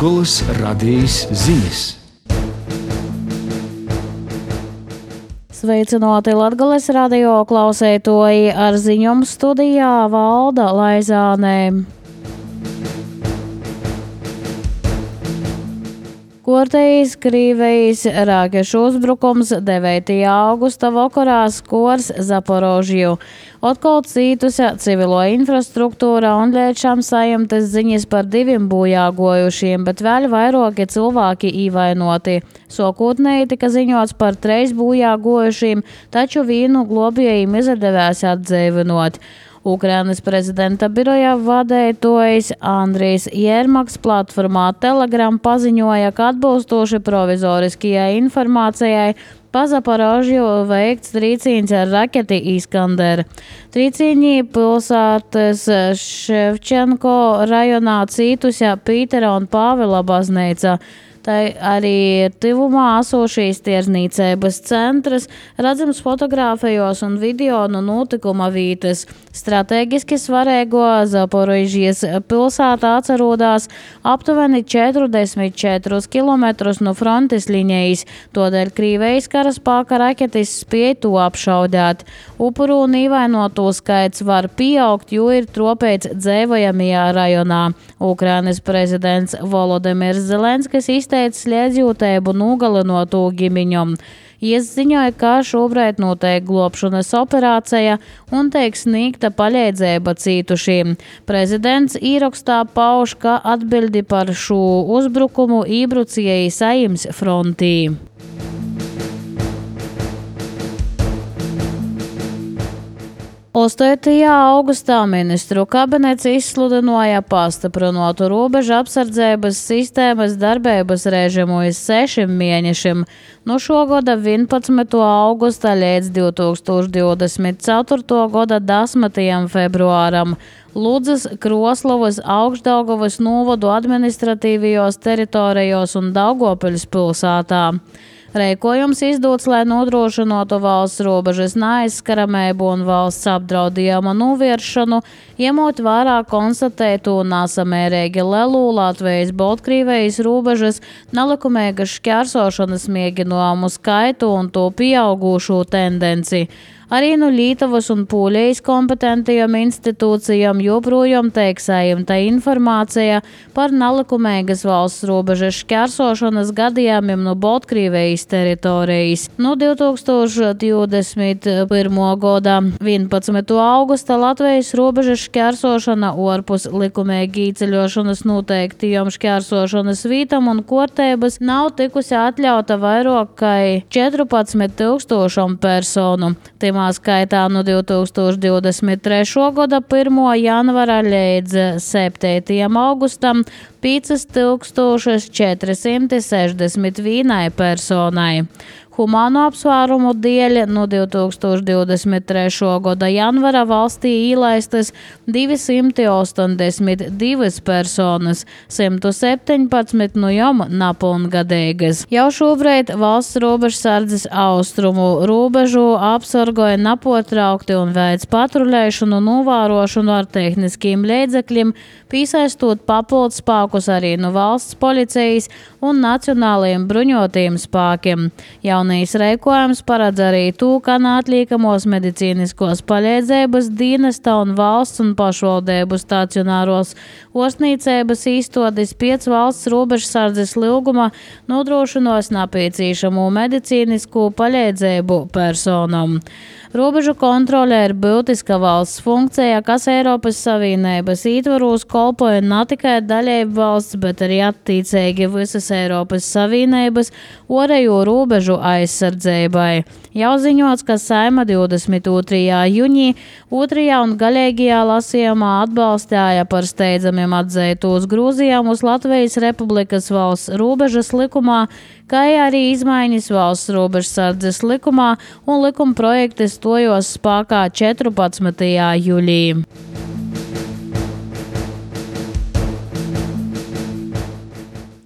Latgoles radījis ziņas. Sveicināti Latgoles radio klausētoji, ar ziņojumu studijā Valda Laizānē. Kortejs Krīvejas rakešu uzbrukums 9. augusta vakarā skors Zaporožiju. Otkal cītusi civilo infrastruktūra un liečām sajumtas ziņas par 2 bojāgojušiem, bet vēl vairāki cilvēki īvainoti. Sākotnēji tika ziņots par 3 bojāgojušiem, taču vienu globējiem izdevās atdzīvinot. Ukrainas prezidenta biroja vadītājs Andrijs Jermaks platformā Telegram paziņoja, ka atbilstoši provizoriskajai informācijai pa Zaporožiju veikts trīcīņš ar raketi Iskander. Trīcīņi pilsētas Ševčenko rajonā cītusi Pītera un Pāvila baznīca. Tā arī tuvumā esošīs tirdzniecības centrs, redzams fotogrāfijos un video no notikuma vietas. Strateģiski svarīgo Zaporožijas pilsētā atrodas aptuveni 44 km no frontes līnijas, tādēļ Krīvejas karaspēka raketis spēja to apšaudīt. Upuru un ievainoto skaits var pieaugt, jo ir tropēts dzīvojamajā rajonā. Ukrainas prezidents Volodimirs Zelenskis izteica sliedzību nogalinoto ģimeņam. Viņš ziņoja, ka šobrīd notiek glābšanas operācija un tiek sniegta palīdzība cītušiem. Prezidents ierakstā pauž, ka atbildi par šo uzbrukumu iebrucēji Saeimas frontī. 8. augustā ministru kabinets izsludināja pastiprinātu robežu apsardzības sistēmas darbības režimu uz 6 mēnešiem, no šogada 11. augusta līdz 2024. gada 10. februāram. Ludzas, Kroslavas, Augšdaugavas novadu administratīvajos teritorijos un Daugavpils pilsētā. Rēkojums izdots, lai nodrošinātu valsts robežas neaizskaramību un valsts apdraudījuma novēršanu, ņemot vērā konstatētu nesamērīgi lielu Latvijas Baltkrievijas robežas nelikumīgas šķērsošanas mēģinājumu skaitu un to pieaugušo tendenci. Arī no Lietuvas un Polijas kompetentajām institūcijām joprojām tiek saņemta informācija par nelikumīgas valsts robežas šķērsošanas gadījumiem no Baltkrievijas teritorijas. No 2021. gada 11. augusta Latvijas robežas šķērsošana ārpus likumīgi ieceļošanas noteiktajām šķērsošanas vītām un kārtības nav tikusi atļauta vairāk kā 14,000 personu. Timā skaitā no 2023. gada 1. janvara līdz 7. augustam 5461 personai. Humāno apsvērumu dēļ no 2023. gada janvara valstī ielaistas 282 personas, 117 no jom nepilngadīgas. Jau šobrīd valsts robežsardzes austrumu robežu apsargoja nepārtraukti un veic patruļēšanu un novērošanu ar tehniskiem līdzekļiem, piesaistot papildus spēkus arī no valsts policijas un nacionālajiem bruņotajiem spēkiem. Jaunais rēkojums paredz arī to, ka neatliekamos medicīniskos palīdzības dienesta un valsts un pašvaldību stacionāros ārstniecības īstenības pēc valsts robežsardzes lūguma nodrošinos nepieciešamo medicīnisko palīdzību personam. Robežu kontrole ir būtiska valsts funkcija, kas Eiropas Savienības ietvaros kalpoja ne tikai dalību valsts, bet arī attiecīgi visas Eiropas Savienības ārējo robežu aizsardzībai. Jau ziņots, ka Saeima 22. jūnijā 2. un galīgajā lasījumā atbalstīja par steidzamiem atzītos grozījumus Latvijas Republikas valsts robežas likumā, kā arī izmaiņas valsts robežsardzes likumā un likuma projekti stojos spēkā 14. jūlijā.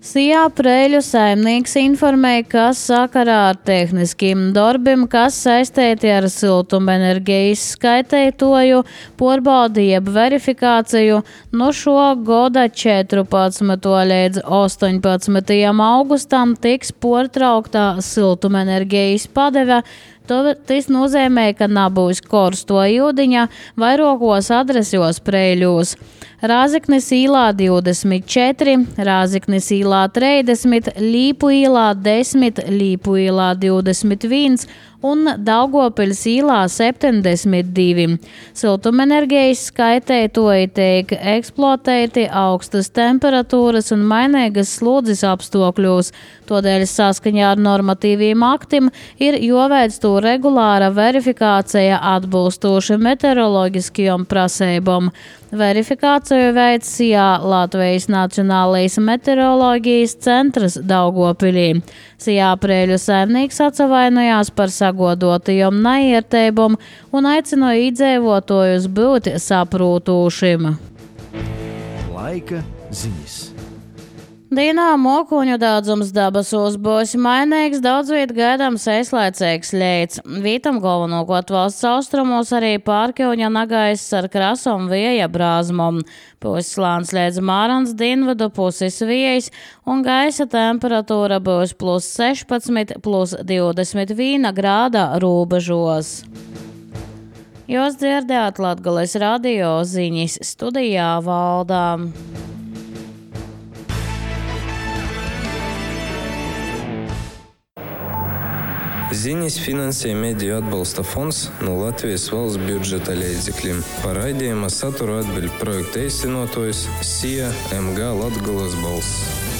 Sijā Preļu saimnieks informēja, ka sakarā ar tehniskiem darbiem, kas saistīti ar siltumenerģijas skaitētoju, porbaudi jeb verifikāciju, no šo gada 14. līdz 18. augustam tiks portrauktā siltumenerģijas padeve. Tas nozīmē, ka nebūs korsto ūdeņa vairākos adresos Preļos. Rāzeknes īlā 24, Rāzeknes īlā 30, Līpu īlā 10, Līpu īlā 21 un Daugavpils īlā 72. Siltumenerģijas skaitētoji tiek eksploatēti augstas temperatūras un mainīgas slodzes apstākļos, tādēļ saskaņā ar normatīviem aktiem ir jāveic to regulāra verifikācija atbilstoši meteoroloģiskajām prasībām. Verifikāciju veic Sijā Latvijas Nacionālais meteoroloģijas centrs Daugavpilī. Sijā Preļu saimnieks atsavainojās par sagodotajām neiertībām un aicināja iedzīvotājus būt saprūtošiem. Laika ziņas. Dienā mokuņu daudzums debesos būs mainīgs, daudz viet gaidāms īslaicīgs lietus. Vītam galvenokārt valsts austrumos arī pārkauņa nagaiss ar krasom vēja brāzmom. Puses slānis līdz Mārans dienvidu puses vējs un gaisa temperatūra būs +16, +21 grāda robežos. Jūs dzirdējāt Latgales radio ziņas, studijā Valdā. Ziņas finansē Mediju atbalsta fonds no Latvijas valsts budžeta līdzekļiem. Par raidījuma saturu atbild projekta īstenotājs Sija MG Latgales balss.